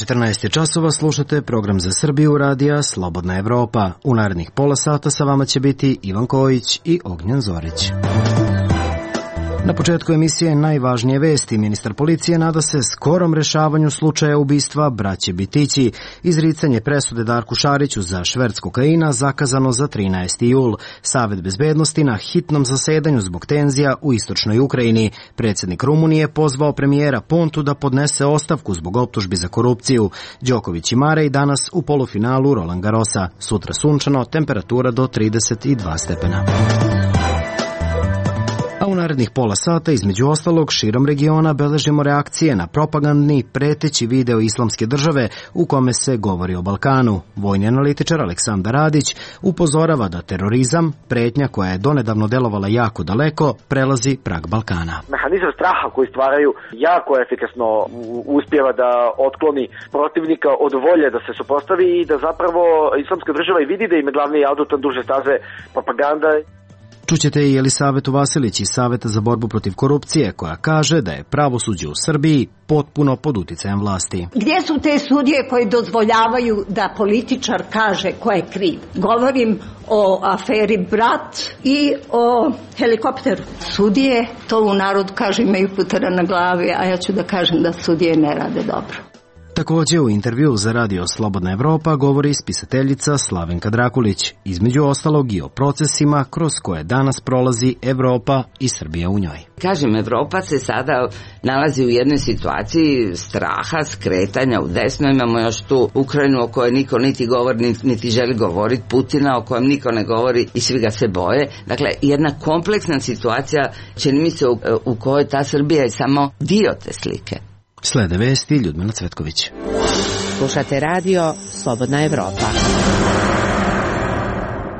14 časova, slušate program za Srbiju radija Slobodna Evropa. U narednih pola sata sa vama će biti Ivan Kojić i Ognjen Zorić. Na početku emisije najvažnije vesti. Ministar policije nada se skorom rešavanju slučaja ubistva braće Bitići. Izricanje presude Darku Šariću za šverc kokaina zakazano za 13. jul. Savet bezbednosti na hitnom zasedanju zbog tenzija u istočnoj Ukrajini. Predsjednik Rumunije pozvao premijera Pontu da podnese ostavku zbog optužbi za korupciju. Đoković i Marej danas u polufinalu Roland Garrosa. Sutra sunčano, temperatura do 32 stepena. A u narednih pola sata, između ostalog, širom regiona beležimo reakcije na propagandni, preteći video Islamske države u kome se govori o Balkanu. Vojni analitičar Aleksandar Radić upozorava da terorizam, pretnja koja je donedavno delovala jako daleko, prelazi prag Balkana. Mehanizam straha koji stvaraju jako efikasno uspijeva da otkloni protivnika od volje da se suprotstavi i da zapravo Islamska država i vidi da im je glavni adutan duže staze propaganda. Čućete i Elisavetu Vasilić iz Saveta za borbu protiv korupcije, koja kaže da je pravosuđe u Srbiji potpuno pod uticajem vlasti. Gdje su te sudije koje dozvoljavaju da političar kaže ko je kriv? Govorim o aferi Brat i o helikopteru. Sudije, to u narodu kaže, imaju putera na glavi, a ja ću da kažem da sudije ne rade dobro. Također u intervju za radio Slobodna Evropa govori spisateljica Slavenka Drakulić, između ostalog i o procesima kroz koje danas prolazi Evropa i Srbija u njoj. Kažem, Evropa se sada nalazi u jednoj situaciji straha, skretanja u desno. Imamo još tu Ukrajinu o kojoj niko niti govori, niti želi govoriti, Putina o kojem niko ne govori i svi ga se boje. Dakle, jedna kompleksna situacija, čini mi se, u kojoj ta Srbija je samo dio te slike. Slede vesti, Ljudmila Cvetković. Slušate radio Slobodna Evropa.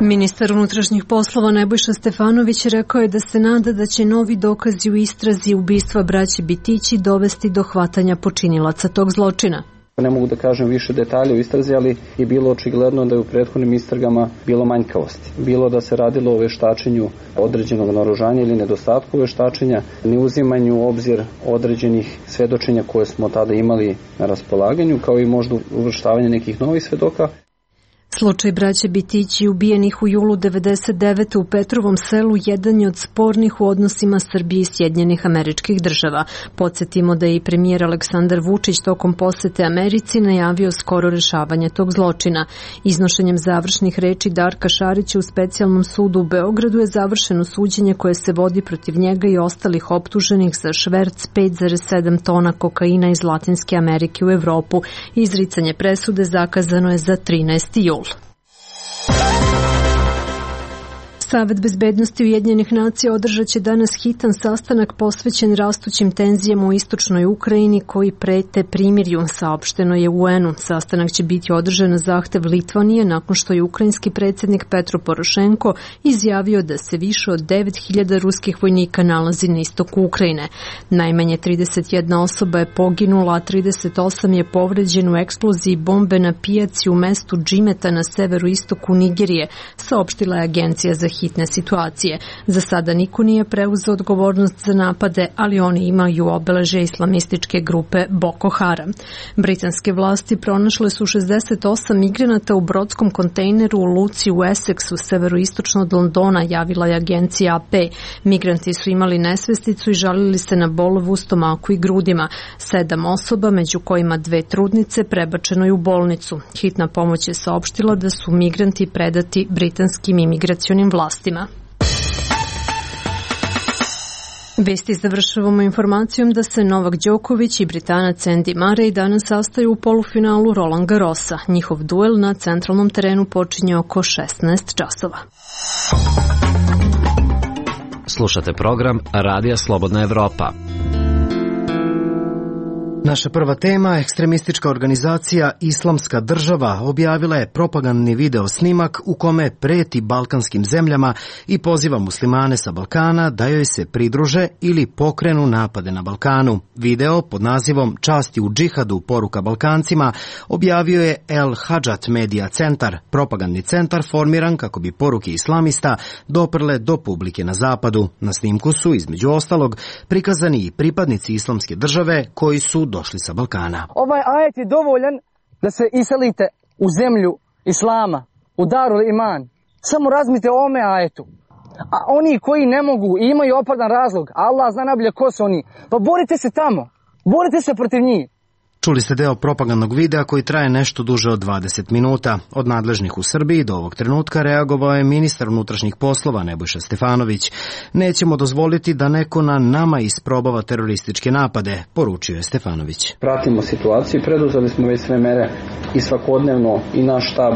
Ministar unutrašnjih poslova Nebojša Stefanović rekao je da se nada da će novi dokazi u istrazi ubistva braće Bitići dovesti do hvatanja počinilaca tog zločina. Ne mogu da kažem više detalja u istrazi, ali je bilo očigledno da je u prethodnim istragama bilo manjkavosti. Bilo da se radilo o veštačenju određenog naoružanja ili nedostatku veštačenja, neuzimanju u obzir određenih svedočenja koje smo tada imali na raspolaganju, kao i možda uvrštavanje nekih novih svedoka. Slučaj braće Bitići ubijenih u julu 1999. u Petrovom selu jedan je od spornih u odnosima Srbije i Sjedinjenih Američkih Država. Podsjetimo da je i premijer Aleksandar Vučić tokom posete Americi najavio skoro rešavanje tog zločina. Iznošenjem završnih reči Darka Šarića u specijalnom sudu u Beogradu je završeno suđenje koje se vodi protiv njega i ostalih optuženih za šverc 5,7 tona kokaina iz Latinske Amerike u Evropu. Izricanje presude zakazano je za 13. jul. Savet bezbednosti Ujedinjenih nacija održat će danas hitan sastanak posvećen rastućim tenzijama u istočnoj Ukrajini koji prete primirju, saopšteno je UN-u. Sastanak će biti održan na zahtev Litvanije nakon što je ukrajinski predsjednik Petro Porošenko izjavio da se više od 9.000 ruskih vojnika nalazi na istoku Ukrajine. Najmanje 31 osoba je poginula, a 38 je povređen u eksploziji bombe na pijaci u mestu Džimeta na severu istoku Nigerije, saopštila je Agencija za hitne situacije. Za sada niko nije preuzeo odgovornost za napade, ali oni imaju obeležje islamističke grupe Boko Haram. Britanske vlasti pronašle su 68 migranata u brodskom kontejneru u luci u Essexu, severoistočno od Londona, javila je agencija AP. Migranti su imali nesvesticu i žalili se na bolove u stomaku i grudima. 7 osoba, među kojima 2 trudnice, prebačeno je u bolnicu. Hitna pomoć je saopštila da su migranti predati britanskim imigracionim vlastima. Vesti završavamo informacijom da se Novak Đoković i Britanac Andy Murray danas sastaju u polufinalu Roland Garrosa. Njihov duel na centralnom terenu počinje oko 16 časova. Slušate program Radija Slobodna Evropa. Naša prva tema, ekstremistička organizacija Islamska država objavila je propagandni video snimak u kome preti balkanskim zemljama i poziva muslimane sa Balkana da joj se pridruže ili pokrenu napade na Balkanu. Video pod nazivom Časti u džihadu, poruka Balkancima objavio je El Hadžat Media Centar, propagandni centar formiran kako bi poruke islamista doprle do publike na zapadu. Na snimku su, između ostalog, prikazani i pripadnici Islamske države koji su došli sa Balkana. Ovaj ajet je dovoljan da se iselite u zemlju Islama, u Darul Iman. Samo razmislite o ome ajetu. A oni koji ne mogu i imaju opravdan razlog, Allah zna najbolje ko su oni, pa borite se tamo, borite se protiv njih. Čuli ste deo propagandnog videa koji traje nešto duže od 20 minuta. Od nadležnih u Srbiji do ovog trenutka reagovao je ministar unutrašnjih poslova Nebojša Stefanović. Nećemo dozvoliti da neko na nama isprobava terorističke napade, poručio je Stefanović. Pratimo situaciju i preduzeli smo već sve mere i svakodnevno i naš štab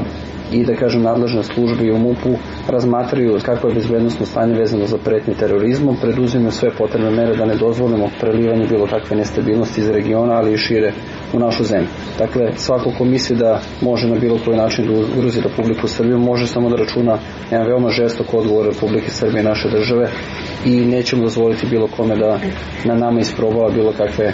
i da kažem nadležne službe i u MUP-u razmatraju kako je bezbednosno stanje vezano za pretnje terorizmom, preduzimaju sve potrebne mere da ne dozvolimo prelivanje bilo kakve nestabilnosti iz regiona, ali i šire u našu zemlju. Dakle, svako ko misli da može na bilo koji način da ugrozi Republiku Srbiju, može samo da računa jedan veoma žestok odgovor Republike Srbije i naše države i nećemo dozvoliti bilo kome da na nama isprobava bilo kakve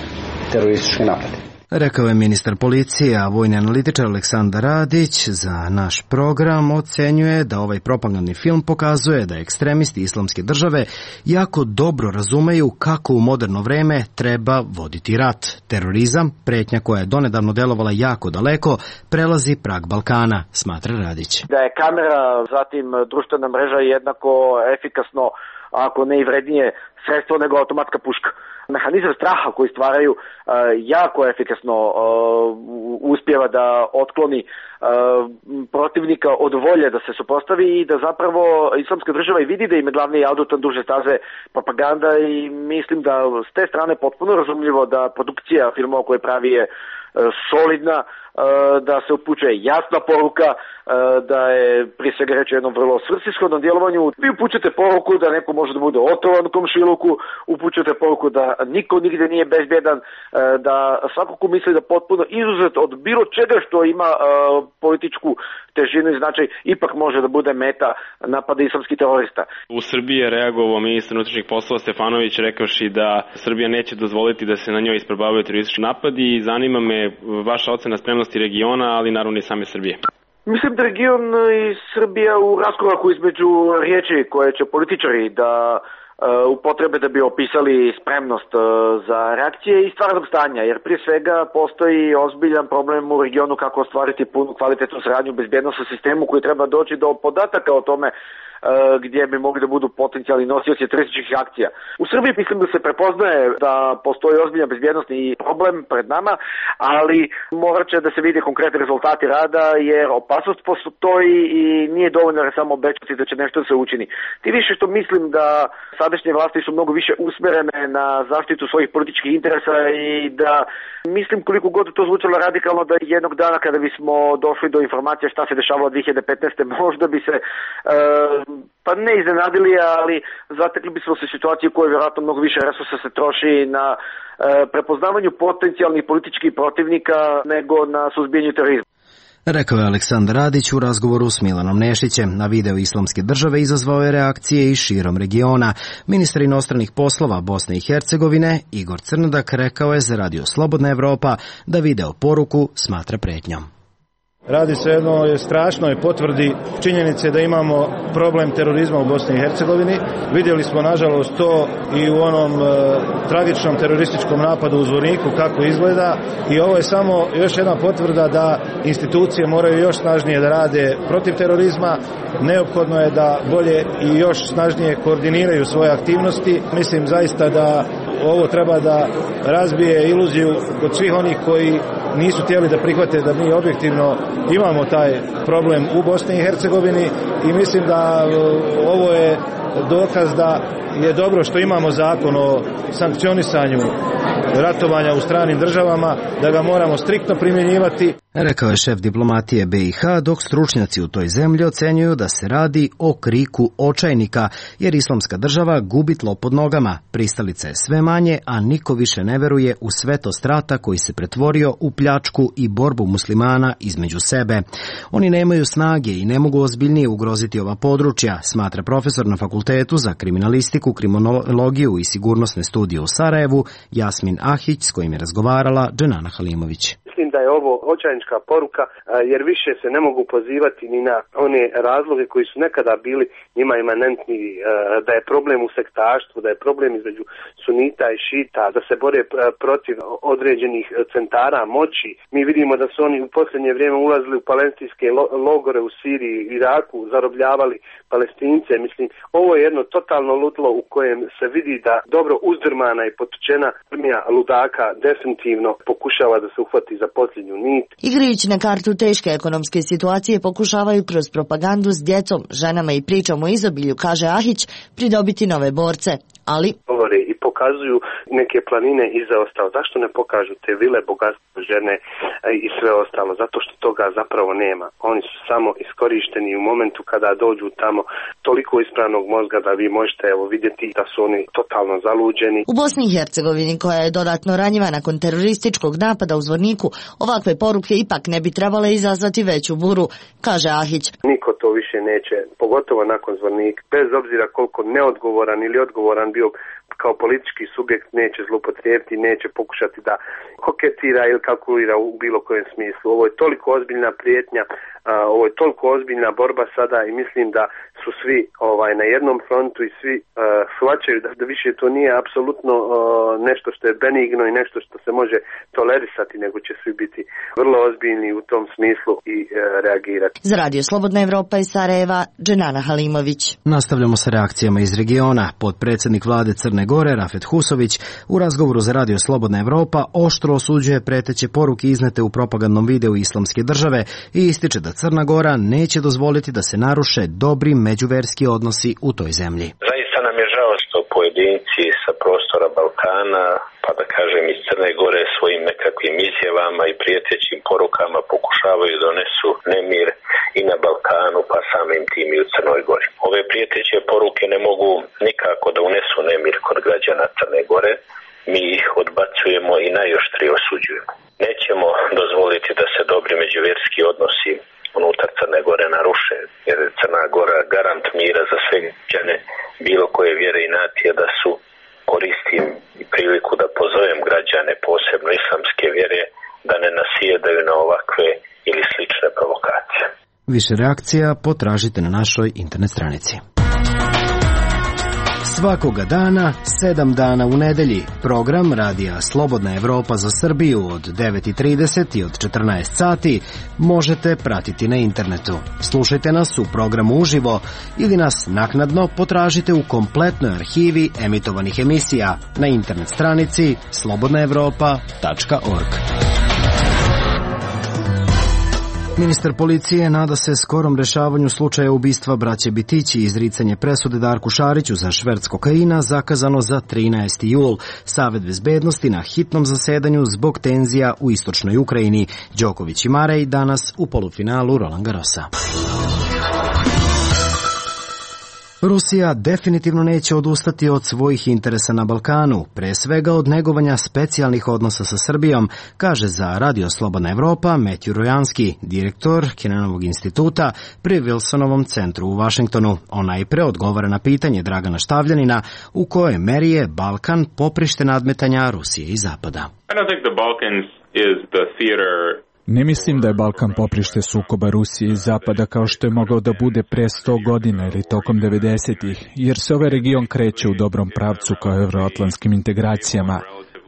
terorističke napade. Rekao je ministar policije, a vojni analitičar Aleksandar Radić za naš program ocenjuje da ovaj propagandni film pokazuje da ekstremisti Islamske države jako dobro razumeju kako u moderno vreme treba voditi rat. Terorizam, pretnja koja je donedavno delovala jako daleko, prelazi prag Balkana, smatra Radić. Da je kamera, zatim društvena mreža jednako efikasno, ako ne i vrednije sredstvo nego automatska puška. Mehanizam straha koji stvaraju jako efikasno uspijeva da otkloni protivnika od volje da se suprotstavi i da zapravo Islamska država i vidi da im je glavni adutan duže staze propaganda i mislim da s te strane potpuno razumljivo da produkcija filmova koje pravi je solidna, da se upućuje jasna poruka, da je prije svega reći o jednom vrlo svrsishodnom djelovanju. Vi upućujete poruku da neko može da bude otrovan u komšiluku, upućujete poruku da niko nigde nije bezbjedan, da svako ko misli da potpuno izuzet od bilo čega što ima političku težinu i značaj, ipak može da bude meta napada islamskih terorista. U Srbiji je reagovao ministar unutrašnjih poslova Stefanović rekavši da Srbija neće dozvoliti da se na njoj isprobavaju teroristički napadi i zanima me vaša ocena spremnosti regiona, ali naravno i same Srbije. Mislim da region i Srbija u raskoraku između riječi koje će političari da upotrebe da bi opisali spremnost za reakcije i stvarnog stanja, jer prije svega postoji ozbiljan problem u regionu kako ostvariti punu kvalitetnu saradnju u bezbjednosnom sistemu koji treba doći do podataka o tome gdje bi mogli da budu potencijalni nosioci terorističkih akcija. U Srbiji mislim da se prepoznaje da postoji ozbiljan bezbjednosni problem pred nama, ali morat će da se vide konkretni rezultati rada jer opasnost postoji i nije dovoljno da samo obećati da će nešto da se učini. Ti više što mislim da sadašnje vlasti su mnogo više usmerene na zaštitu svojih političkih interesa i da mislim koliko god to zvučalo radikalno da jednog dana kada bismo došli do informacije šta se dešavalo 2015. možda bi se pa ne iznenadili, ali zatekli bismo se situaciju u kojoj vjerojatno mnogo više resursa se troši na prepoznavanju potencijalnih političkih protivnika nego na suzbijanju terorizma. Rekao je Aleksandar Radić u razgovoru s Milanom Nešićem. Na video Islamske države izazvao je reakcije i širom regiona. Ministar inostranih poslova Bosne i Hercegovine Igor Crnodak rekao je za Radio Slobodna Evropa da video poruku smatra pretnjom. Radi se o jednoj strašnoj potvrdi činjenice da imamo problem terorizma u Bosni i Hercegovini. Vidjeli smo nažalost to i u onom tragičnom terorističkom napadu u Zvorniku kako izgleda i ovo je samo još jedna potvrda da institucije moraju još snažnije da rade protiv terorizma. Neophodno je da bolje i još snažnije koordiniraju svoje aktivnosti. Mislim zaista da ovo treba da razbije iluziju kod svih onih koji nisu htjeli da prihvate da mi objektivno imamo taj problem u Bosni i Hercegovini i mislim da ovo je dokaz da je dobro što imamo zakon o sankcionisanju ratovanja u stranim državama, da ga moramo striktno primjenjivati. Rekao je šef diplomatije BiH, dok stručnjaci u toj zemlji ocenjuju da se radi o kriku očajnika, jer Islamska država gubi tlo pod nogama. Pristalica je sve manje, a niko više ne veruje u svetost rata koji se pretvorio u pljačku i borbu muslimana između sebe. Oni nemaju snage i ne mogu ozbiljnije ugroziti ova područja, smatra profesor na Fakultetu za kriminalistiku, kriminologiju i sigurnosne studije u Sarajevu Jasmin Ahić, s kojim je razgovarala Dženana Halimović. mislim da je ovo očajnička poruka, jer više se ne mogu pozivati ni na one razloge koji su nekada bili njima imanentni, da je problem u sektaštvu, da je problem između sunita i šita, da se bore protiv određenih centara moći. Mi vidimo da su oni u posljednje vrijeme ulazili u palestinske logore u Siriji, Iraku, zarobljavali Palestince. Mislim, ovo je jedno totalno ludilo u kojem se vidi da dobro uzdrmana i potučena armija ludaka definitivno pokušava da se uhvati za posljednju nit. Igrajući na kartu teške ekonomske situacije, pokušavaju kroz propagandu s djecom, ženama i pričom o izobilju, kaže Ahić, pridobiti nove borce. Ali govore i pokazuju neke planine iza ostalo. Zašto ne pokažu te vile, bogatstvo, žene i sve ostalo? Zato što toga zapravo nema. Oni su samo iskorišteni u momentu kada dođu tamo toliko ispravnog mozga da vi možete vidjeti da su oni totalno zaluđeni. U Bosni i Hercegovini, koja je dodatno ranjiva nakon terorističkog napada u Zvorniku, ovakve poruke ipak ne bi trebale izazvati veću buru, kaže Ahić. Niko to više neće, pogotovo nakon Zvornika, bez obzira koliko neodgovoran ili odgovoran bio kao politički subjekt, neće zloupotrijebiti, neće pokušati da koketira ili kalkulira u bilo kojem smislu. Ovo je toliko ozbiljna prijetnja, ovo je toliko ozbiljna borba sada i mislim da su svi na jednom frontu i svi shvaćaju da više to nije apsolutno nešto što je benigno i nešto što se može tolerisati, nego će svi biti vrlo ozbiljni u tom smislu i reagirati. Za Radio Slobodna Evropa iz Sarajeva, Dženana Halimović. Nastavljamo sa reakcijama iz regiona. Potpredsjednik vlade Crne Gore, Rafet Husović, u razgovoru za Radio Slobodna Evropa oštro osuđuje preteće poruke iznete u propagandnom videu Islamske države i ističe da Crna Gora neće dozvoliti da se naruše dobri međuverski odnosi u toj zemlji. Zaista nam je žao što pojedinci sa prostora Balkana, pa da kažem iz Crne Gore, svojim nekakvim izjavama i prijetećim porukama pokušavaju da donesu nemir i na Balkanu, pa samim tim i u Crnoj Gori. Ove prijeteće poruke ne mogu nikako da unesu nemir kod građana Crne Gore. Mi ih odbacujemo i najoštrije osuđujemo. Nećemo dozvoliti da se dobri međuvjerski odnosi unutar Crne Gore naruše, jer je Crna Gora garant mira za sve građane bilo koje vjere i nacije. Da su, koristim i priliku da pozovem građane, posebno islamske vjere, da ne nasjedaju na ovakve ili slične provokacije. Više reakcija potražite na našoj internet stranici. Svakoga dana, 7 dana u nedelji, program Radija Slobodna Evropa za Srbiju od 9:30 i od 14 sati možete pratiti na internetu. Slušajte nas u programu uživo ili nas naknadno potražite u kompletnoj arhivi emitovanih emisija na internet stranici slobodnaevropa.org. Ministar policije nada se skorom rešavanju slučaja ubistva braće Bitići i izricanje presude Darku Šariću za šverc kokaina zakazano za 13. jul. Savet bezbednosti na hitnom zasedanju zbog tenzija u istočnoj Ukrajini. Đoković i Marej danas u polufinalu Roland Garrosa. Rusija definitivno neće odustati od svojih interesa na Balkanu, pre svega od negovanja specijalnih odnosa sa Srbijom, kaže za Radio Slobodna Evropa Metju Rojanski, direktor Kennanovog instituta pri Wilsonovom centru u Vašingtonu. On najpre odgovara na pitanje Dragana Štavljanina u kojoj meri je Balkan poprište nadmetanja Rusije i Zapada. Ne mislim da je Balkan poprište sukoba Rusije i Zapada kao što je mogao da bude pre 100 godina ili tokom 90-ih, jer se ovaj region kreće u dobrom pravcu kao evroatlantskim integracijama.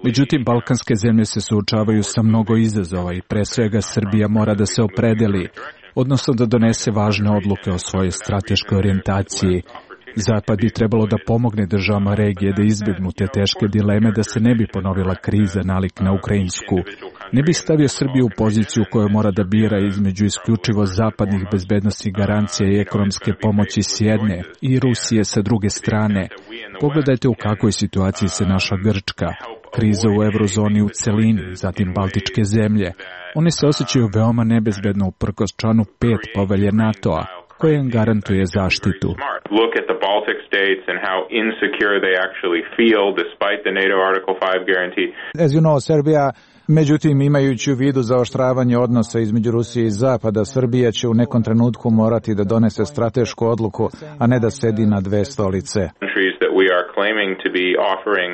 Međutim, balkanske zemlje se suočavaju sa mnogo izazova i pre svega Srbija mora da se opredeli, odnosno da donese važne odluke o svojoj strateškoj orijentaciji. Zapad bi trebalo da pomogne državama regije da izbjegnu te teške dileme da se ne bi ponovila kriza nalik na ukrajinsku. Ne bi stavio Srbiju u poziciju koju mora da bira između isključivo zapadnih bezbednostnih garancija i ekonomske pomoći s jedne i Rusije sa druge strane. Pogledajte u kakvoj situaciji se naša Grčka, kriza u eurozoni u celini, zatim Baltičke zemlje. One se osjećaju veoma nebezbedno uprkos članu 5 povelje NATO-a, koje im garantuje zaštitu. Look at the Baltic states and how insecure they actually feel despite the NATO Article 5 guarantee. As you know, Serbia, međutim, imajući u vidu zaoštravanje odnosa između Rusije i Zapada, Srbija će u nekom trenutku morati da donese stratešku odluku, a ne da sedi na dve stolice. That we are claiming to be offering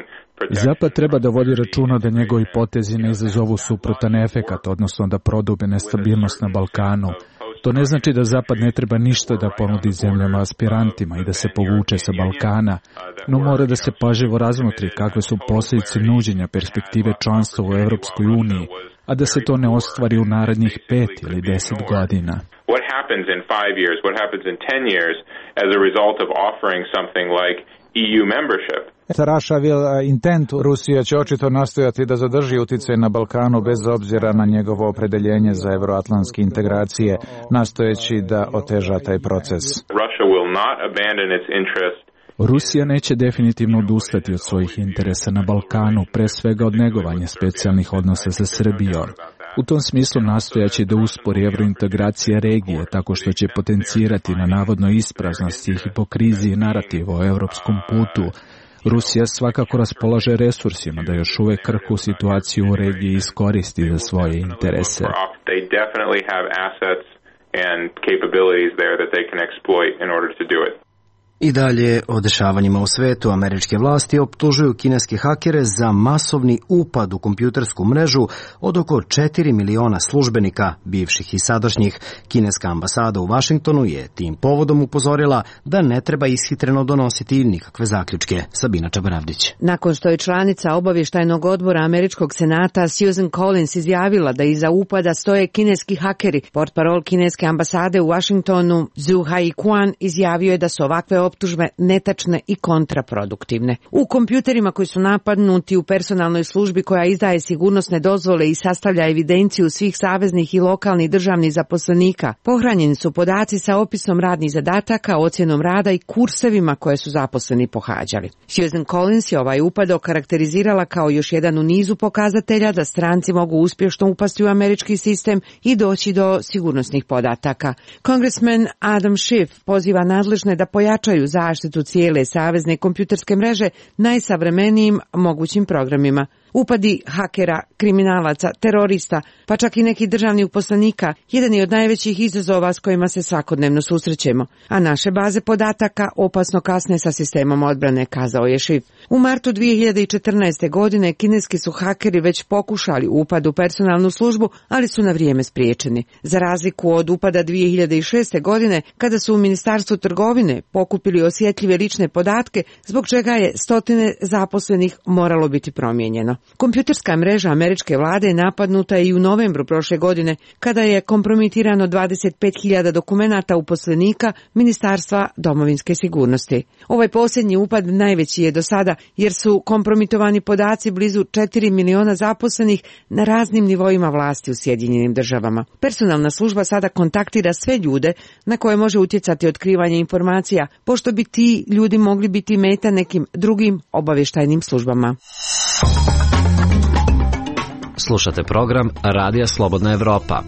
Zapad treba da vodi računa da njegovi potezi ne izazovu suprotan efekat, odnosno da prodube nestabilnost na Balkanu. To ne znači da Zapad ne treba ništa da ponudi zemljama aspirantima i da se povuče sa Balkana, no mora da se pažljivo razmotri kakve su posljedice nuđenja perspektive članstva u Evropskoj uniji, a da se to ne ostvari u narednih 5 ili 10 godina. What happens in 5 years, what happens in 10 years as a result of offering something like EU membership? Russia will intent, Rusija će očito nastojati da zadrži uticaj na Balkanu bez obzira na njegovo opredeljenje za evroatlantske integracije, nastojeći da oteža taj proces. Russia will not abandon its interest. Rusija neće definitivno odustati od svojih interesa na Balkanu, pre svega od negovanja specijalnih odnosa sa Srbijom. U tom smislu nastojaće da uspori evrointegracija regije tako što će potencirati na navodnoj ispraznosti i hipokriziji narativa o evropskom putu. Rusija svakako raspolaže resursima da još uvek krhku situaciju u regiji iskoristi za svoje interese. They definitely have assets and capabilities there that they can exploit in order to do it. I dalje o dešavanjima u svetu američke vlasti optužuju kineske hakere za masovni upad u kompjutersku mrežu od oko 4 miliona službenika, bivših i sadašnjih. Kineska ambasada u Vašingtonu je tim povodom upozorila da ne treba ishitreno donositi nikakve zaključke. Sabina Čabaravdić. Nakon što je članica obavještajnog odbora američkog senata Susan Collins izjavila da iza upada stoje kineski hakeri, portparol kineske ambasade u Vašingtonu Zhu Haiquan izjavio je da su ovakve optužbe netačne i kontraproduktivne. U kompjuterima koji su napadnuti u personalnoj službi koja izdaje sigurnosne dozvole i sastavlja evidenciju svih saveznih i lokalnih državnih zaposlenika, pohranjeni su podaci sa opisom radnih zadataka, ocjenom rada i kursevima koje su zaposleni pohađali. Susan Collins je ovaj upad okarakterizirala kao još jedan u nizu pokazatelja da stranci mogu uspješno upasti u američki sistem i doći do sigurnosnih podataka. Congressman Adam Schiff poziva nadležne da pojačaju zaštitu cijele savezne kompjuterske mreže najsavremenijim mogućim programima. Upadi hakera, kriminalaca, terorista, pa čak i nekih državnih uposlenika, jedan je od najvećih izazova s kojima se svakodnevno susrećemo, a naše baze podataka opasno kasne sa sistemom odbrane, kazao je Schiff. U martu 2014. godine kineski su hakeri već pokušali upad u personalnu službu, ali su na vrijeme spriječeni. Za razliku od upada 2006. godine, kada su u Ministarstvu trgovine pokupili osjetljive lične podatke, zbog čega je stotine zaposlenih moralo biti promijenjeno. Kompjuterska mreža američke vlade je napadnuta i u novembru prošle godine, kada je kompromitirano 25.000 dokumenata uposlenika Ministarstva domovinske sigurnosti. Ovaj posljednji upad najveći je do sada, jer su kompromitovani podaci blizu 4 miliona zaposlenih na raznim nivoima vlasti u Sjedinjenim državama. Personalna služba sada kontaktira sve ljude na koje može utjecati otkrivanje informacija, pošto bi ti ljudi mogli biti meta nekim drugim obavještajnim službama. Slušate program Radija Slobodna Evropa.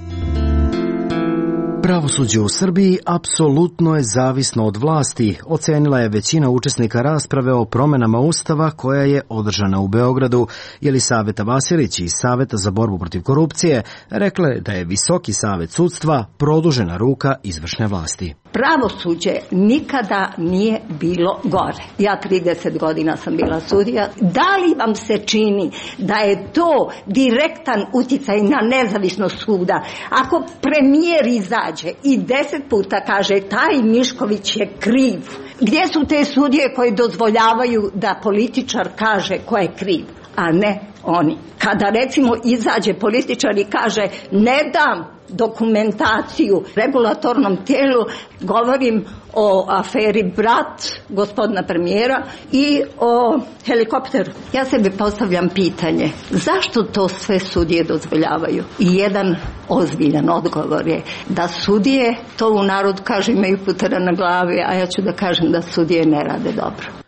Pravosuđe u Srbiji apsolutno je zavisno od vlasti, ocenila je većina učesnika rasprave o promenama Ustava koja je održana u Beogradu. Jelisaveta Vasilić iz Saveta za borbu protiv korupcije rekla da je Visoki savet sudstva produžena ruka izvršne vlasti. Pravosuđe nikada nije bilo gore. Ja 30 godina sam bila sudija. Da li vam se čini da je to direktan uticaj na nezavisnost suda? Ako premijer izađe i 10 puta kaže taj Mišković je kriv, gdje su te sudije koje dozvoljavaju da političar kaže ko je kriv, a ne oni? Kada recimo izađe političar i kaže ne dam dokumentaciju regulatornom tijelu, govorim o aferi Brat gospodina premijera i o helikopteru. Ja sebi postavljam pitanje, zašto to sve sudije dozvoljavaju? I jedan ozbiljan odgovor je da sudije, to u narod kaže, imaju putera na glavi, a ja ću da kažem da sudije ne rade dobro.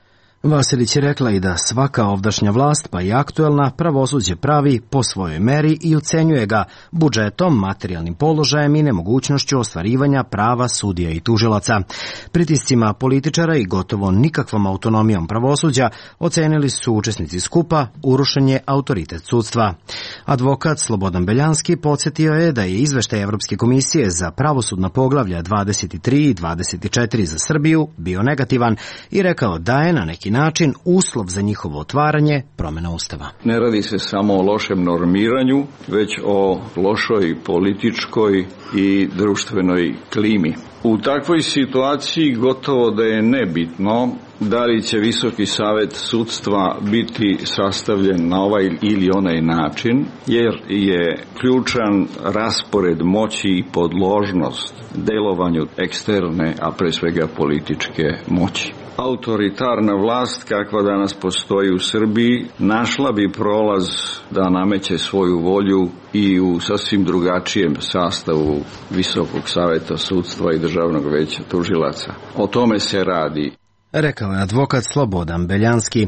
Vasilić je rekla i da svaka ovdašnja vlast, pa i aktuelna, pravosuđe pravi po svojoj meri i ocenjuje ga budžetom, materijalnim položajem i nemogućnošću ostvarivanja prava sudija i tužilaca. Pritiscima političara i gotovo nikakvom autonomijom pravosuđa ocenili su učesnici skupa urušen je autoritet sudstva. Advokat Slobodan Beljanski podsjetio je da je izveštaj Evropske komisije za pravosudna poglavlja 23 i 24 za Srbiju bio negativan i rekao da je na neki neki način uslov za njihovo otvaranje, promjena Ustava. Ne radi se samo o lošem normiranju, već o lošoj političkoj i društvenoj klimi. U takvoj situaciji gotovo da je nebitno da li će Visoki savet sudstva biti sastavljen na ovaj ili onaj način, jer je ključan raspored moći i podložnost delovanju eksterne, a pre svega političke moći. Autoritarna vlast kakva danas postoji u Srbiji našla bi prolaz da nameće svoju volju i u sasvim drugačijem sastavu Visokog saveta sudstva i Državnog veća tužilaca. O tome se radi. Rekao je advokat Slobodan Beljanski,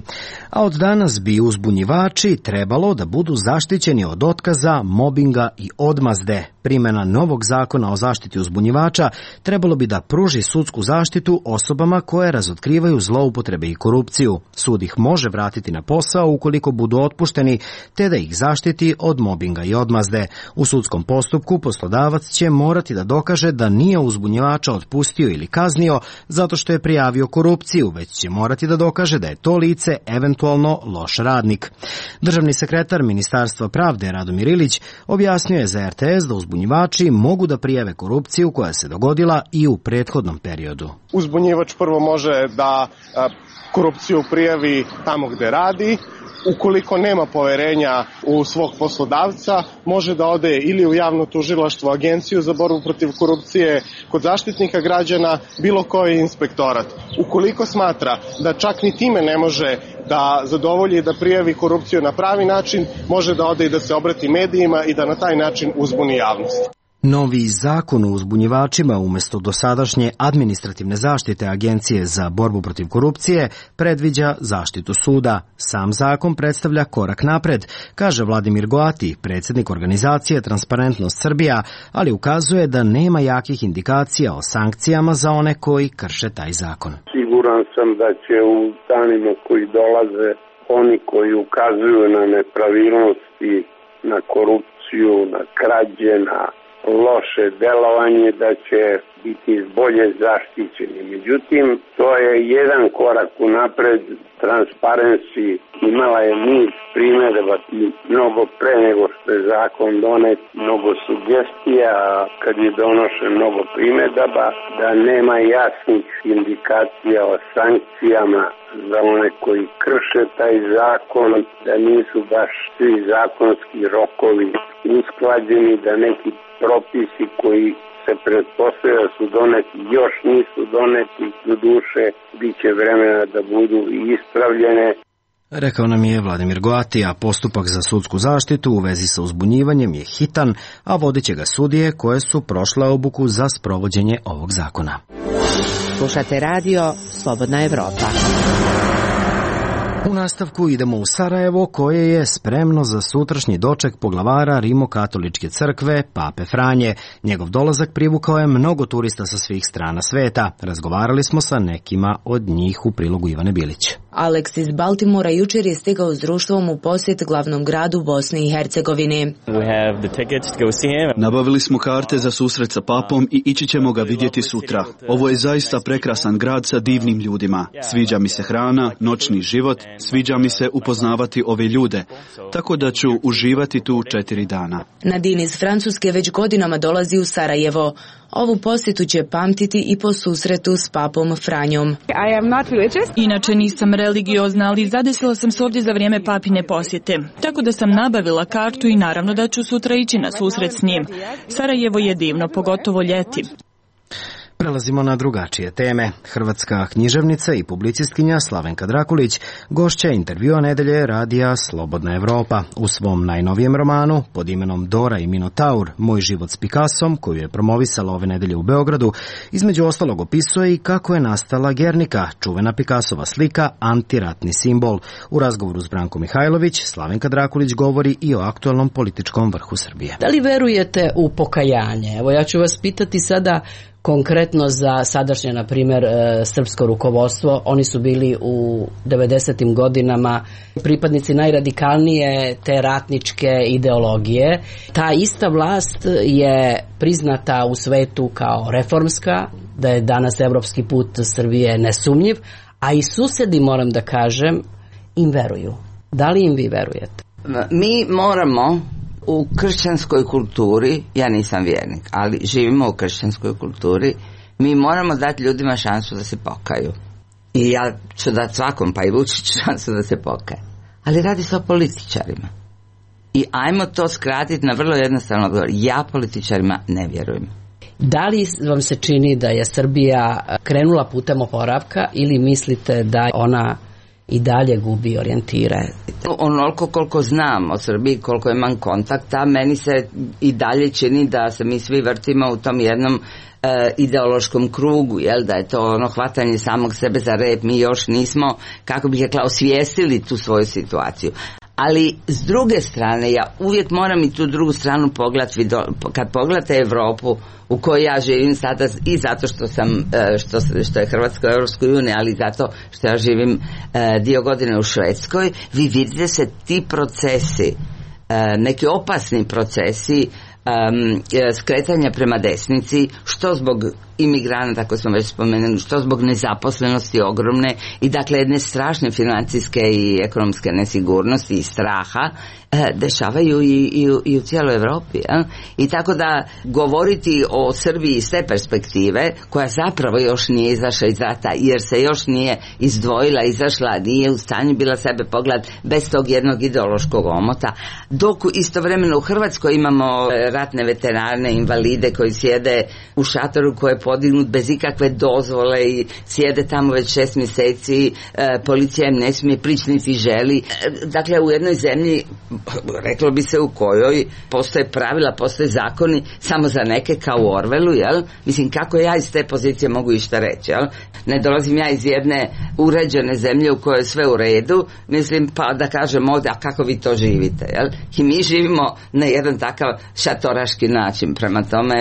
a od danas bi uzbunjivači trebalo da budu zaštićeni od otkaza, mobinga i odmazde. Primjena novog zakona o zaštiti uzbunjivača trebalo bi da pruži sudsku zaštitu osobama koje razotkrivaju zloupotrebe i korupciju. Sud ih može vratiti na posao ukoliko budu otpušteni, te da ih zaštiti od mobinga i odmazde. U sudskom postupku poslodavac će morati da dokaže da nije uzbunjivača otpustio ili kaznio zato što je prijavio korupciju, već će morati da dokaže da je to lice eventualno loš radnik. Državni sekretar Ministarstva pravde Radomir Ilić objasnio je za RTS da uzbunjivači mogu da prijave korupciju koja se dogodila i u prethodnom periodu. Uzbunjivač prvo može da korupciju prijavi tamo gde radi. Ukoliko nema poverenja u svog poslodavca, može da ode ili u javno tužilaštvo, Agenciju za borbu protiv korupcije, kod Zaštitnika građana, bilo koji inspektorat. Ukoliko smatra da čak ni time ne može da zadovolji da prijavi korupciju na pravi način, može da ode i da se obrati medijima i da na taj način uzbuni javnost. Novi zakon o uzbunjivačima umjesto dosadašnje administrativne zaštite Agencije za borbu protiv korupcije predviđa zaštitu suda. Sam zakon predstavlja korak napred, kaže Vladimir Goati, predsjednik organizacije Transparentnost Srbija, ali ukazuje da nema jakih indikacija o sankcijama za one koji krše taj zakon. Siguran sam da će u danima koji dolaze oni koji ukazuju na nepravilnosti, na korupciju, na krađe, na loše delovanje, da će biti bolje zaštićeni. Međutim, to je jedan korak unapred. Transparency imala je niz primjedaba i mnogo pre nego što je zakon donet, mnogo sugestija, kad je donošen mnogo primjedaba, da nema jasnih indikacija o sankcijama za one koji krše taj zakon, da nisu baš svi zakonski rokovi usklađeni, da neki propisi koji se pretpostavlja da su doneti, još nisu doneti, do duše bit će vremena da budu ispravljene. Rekao nam je Vladimir Goati, a postupak za sudsku zaštitu u vezi sa uzbunjivanjem je hitan, a vodit će ga sudije koje su prošle obuku za sprovođenje ovog zakona. Slušate radio Slobodna Evropa. U nastavku idemo u Sarajevo, koje je spremno za sutrašnji doček poglavara Rimokatoličke crkve, Pape Franje. Njegov dolazak privukao je mnogo turista sa svih strana sveta. Razgovarali smo sa nekima od njih u prilogu Ivane Bilić. Alex iz Baltimora jučer je stigao s društvom u posjet glavnom gradu Bosne i Hercegovine. Nabavili smo karte za susret sa papom i ići ćemo ga vidjeti sutra. Ovo je zaista prekrasan grad sa divnim ljudima. Sviđa mi se hrana, noćni život, sviđa mi se upoznavati ove ljude, tako da ću uživati tu 4 dana. Nadine iz Francuske već godinama dolazi u Sarajevo. Ovu posjetu će pamtiti i po susretu s papom Franjom. Inače nisam religiozna, ali zadesila sam se ovdje za vrijeme papine posjete. Tako da sam nabavila kartu i naravno da ću sutra ići na susret s njim. Sarajevo je divno, pogotovo ljeti. Prelazimo na drugačije teme. Hrvatska književnica i publicistkinja Slavenka Drakulić gošća intervjua nedelje radija Slobodna Evropa. U svom najnovijem romanu pod imenom Dora i Minotaur, Moj život s Picassom, koju je promovisala ove nedelje u Beogradu, između ostalog opisuje i kako je nastala Gernika, čuvena Picassova slika, antiratni simbol. U razgovoru s Brankom Mihajlović, Slavenka Drakulić govori i o aktualnom političkom vrhu Srbije. Da li verujete u pokajanje? Evo, ja ću vas pitati sada konkretno za sadašnje, na primjer, srpsko rukovodstvo. Oni su bili u 90. godinama pripadnici najradikalnije te ratničke ideologije. Ta ista vlast je priznata u svetu kao reformska, da je danas evropski put Srbije nesumnjiv, A i susedi, moram da kažem, im veruju. Da li im vi verujete? Mi moramo u kršćanskoj kulturi, ja nisam vjernik, ali živimo u kršćanskoj kulturi, mi moramo dati ljudima šansu da se pokaju. I ja ću dati svakom, pa i Vučiću, šansu da se pokaje. Ali radi se o političarima. I ajmo to skratiti na vrlo jednostavno odgovor. Ja političarima ne vjerujem. Da li vam se čini da je Srbija krenula putem oporavka ili mislite da ona i dalje gubi orijentire? Onoliko koliko znam o Srbiji, koliko imam kontakta, meni se i dalje čini da se mi svi vrtimo u tom jednom ideološkom krugu, jel, da je to ono hvatanje samog sebe za rep. Mi još nismo, kako bih rekla, osvijestili tu svoju situaciju. Ali s druge strane, ja uvijek moram i tu drugu stranu pogledati. Kad pogledate Evropu u kojoj ja živim sada, i zato što sam što je Hrvatska u Europskoj uniji, ali zato što ja živim dio godine u Švedskoj, vi vidite se ti procesi, neki opasni procesi skretanja prema desnici, što zbog imigranata, tako smo već spomenuli, što zbog nezaposlenosti ogromne i dakle jedne strašne financijske i ekonomske nesigurnosti i straha dešavaju i u cijeloj Evropi. I tako da govoriti o Srbiji iz te perspektive, koja zapravo još nije izašla iz rata, jer se još nije izdvojila, izašla, nije u stanju bila sebe pogledati bez tog jednog ideološkog omota, dok istovremeno u Hrvatskoj imamo ratne veterane, invalide koji sjede u šatoru koji je podignut bez ikakve dozvole i sjede tamo već 6 mjeseci, policija im ne smije prići niti želi. Dakle, u jednoj zemlji, reklo bi se, u kojoj postoje pravila, postoje zakoni samo za neke, kao u Orwellu, jel? Mislim, kako ja iz te pozicije mogu išta reći, jel? Ne dolazim ja iz jedne uređene zemlje u kojoj je sve u redu, mislim, pa da kažem ovdje, a kako vi to živite, jel? I mi živimo na jedan takav šatoraški način, prema tome,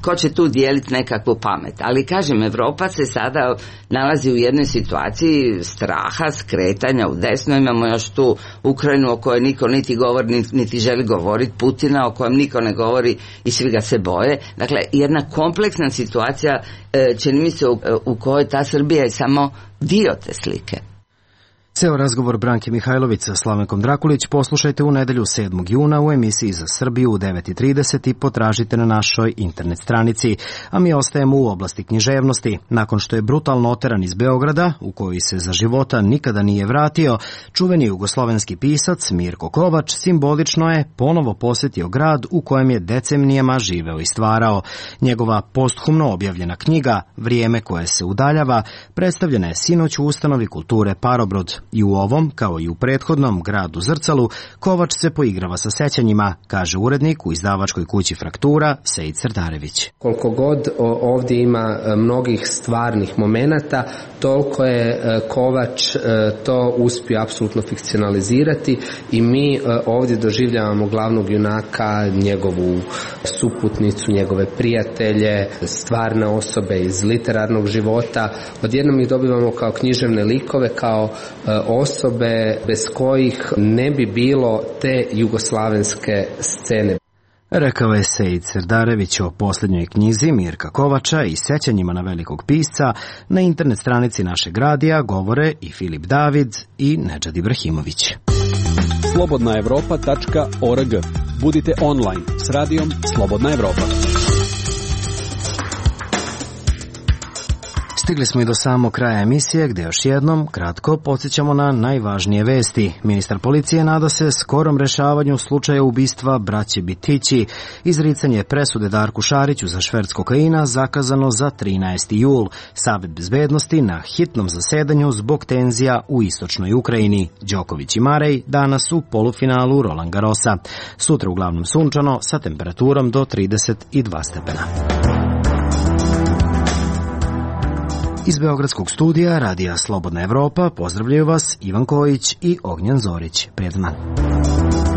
ko će tu dijeliti nekakvu pamet. Ali kažem, Evropa se sada nalazi u jednoj situaciji straha, skretanja u desno. Imamo još tu Ukrajinu o kojoj niko niti govori, niti želi govoriti, Putina o kojem niko ne govori i svi ga se boje. Dakle, jedna kompleksna situacija, čini mi se, u kojoj ta Srbija je samo dio te slike. Ceo razgovor Branke Mihajlović sa Slavenkom Drakulić poslušajte u nedelju 7. juna u emisiji Za Srbiju u 9:30 i potražite na našoj internet stranici. A mi ostajemo u oblasti književnosti. Nakon što je brutalno oteran iz Beograda, u koji se za života nikada nije vratio, čuveni jugoslovenski pisac Mirko Kovač simbolično je ponovo posjetio grad u kojem je decenijama živeo i stvarao. Njegova posthumno objavljena knjiga Vrijeme koje se udaljava predstavljena je sinoć u ustanovi kulture Parobrod. I u ovom, kao i u prethodnom gradu Zrcalu, Kovač se poigrava sa sećanjima, kaže urednik u izdavačkoj kući Fraktura Sejid Srdarević. Koliko god ovdje ima mnogih stvarnih momenata, toliko je Kovač to uspio apsolutno fikcionalizirati i mi ovdje doživljavamo glavnog junaka, njegovu suputnicu, njegove prijatelje, stvarne osobe iz literarnog života. Odjednom ih dobivamo kao književne likove, kao osobe bez kojih ne bi bilo te jugoslavenske scene. Rekao je Sejid Srdarević o posljednjoj knjizi Mirka Kovača i sećanjima na velikog pisca. Na internet stranici našeg radija govore i Filip David i Nedžad Ibrahimović. slobodnaevropa.org. Budite online s radijom Slobodna Evropa. Stigli smo i do samog kraja emisije, gdje još jednom kratko podsjećamo na najvažnije vesti. Ministar policije nada se skorom rešavanju slučaja ubistva braće Bitići. Izricanje presude Darku Šariću za šverc kokaina zakazano za 13. jul. Savet bezbednosti na hitnom zasedanju zbog tenzija u istočnoj Ukrajini. Đoković i Marej danas u polufinalu Roland Garrosa. Sutra uglavnom sunčano sa temperaturom do 32 stepena. Iz Beogradskog studija Radija Slobodna Evropa pozdravljaju vas Ivan Kojić i Ognjan Zorić. Prijatno dan.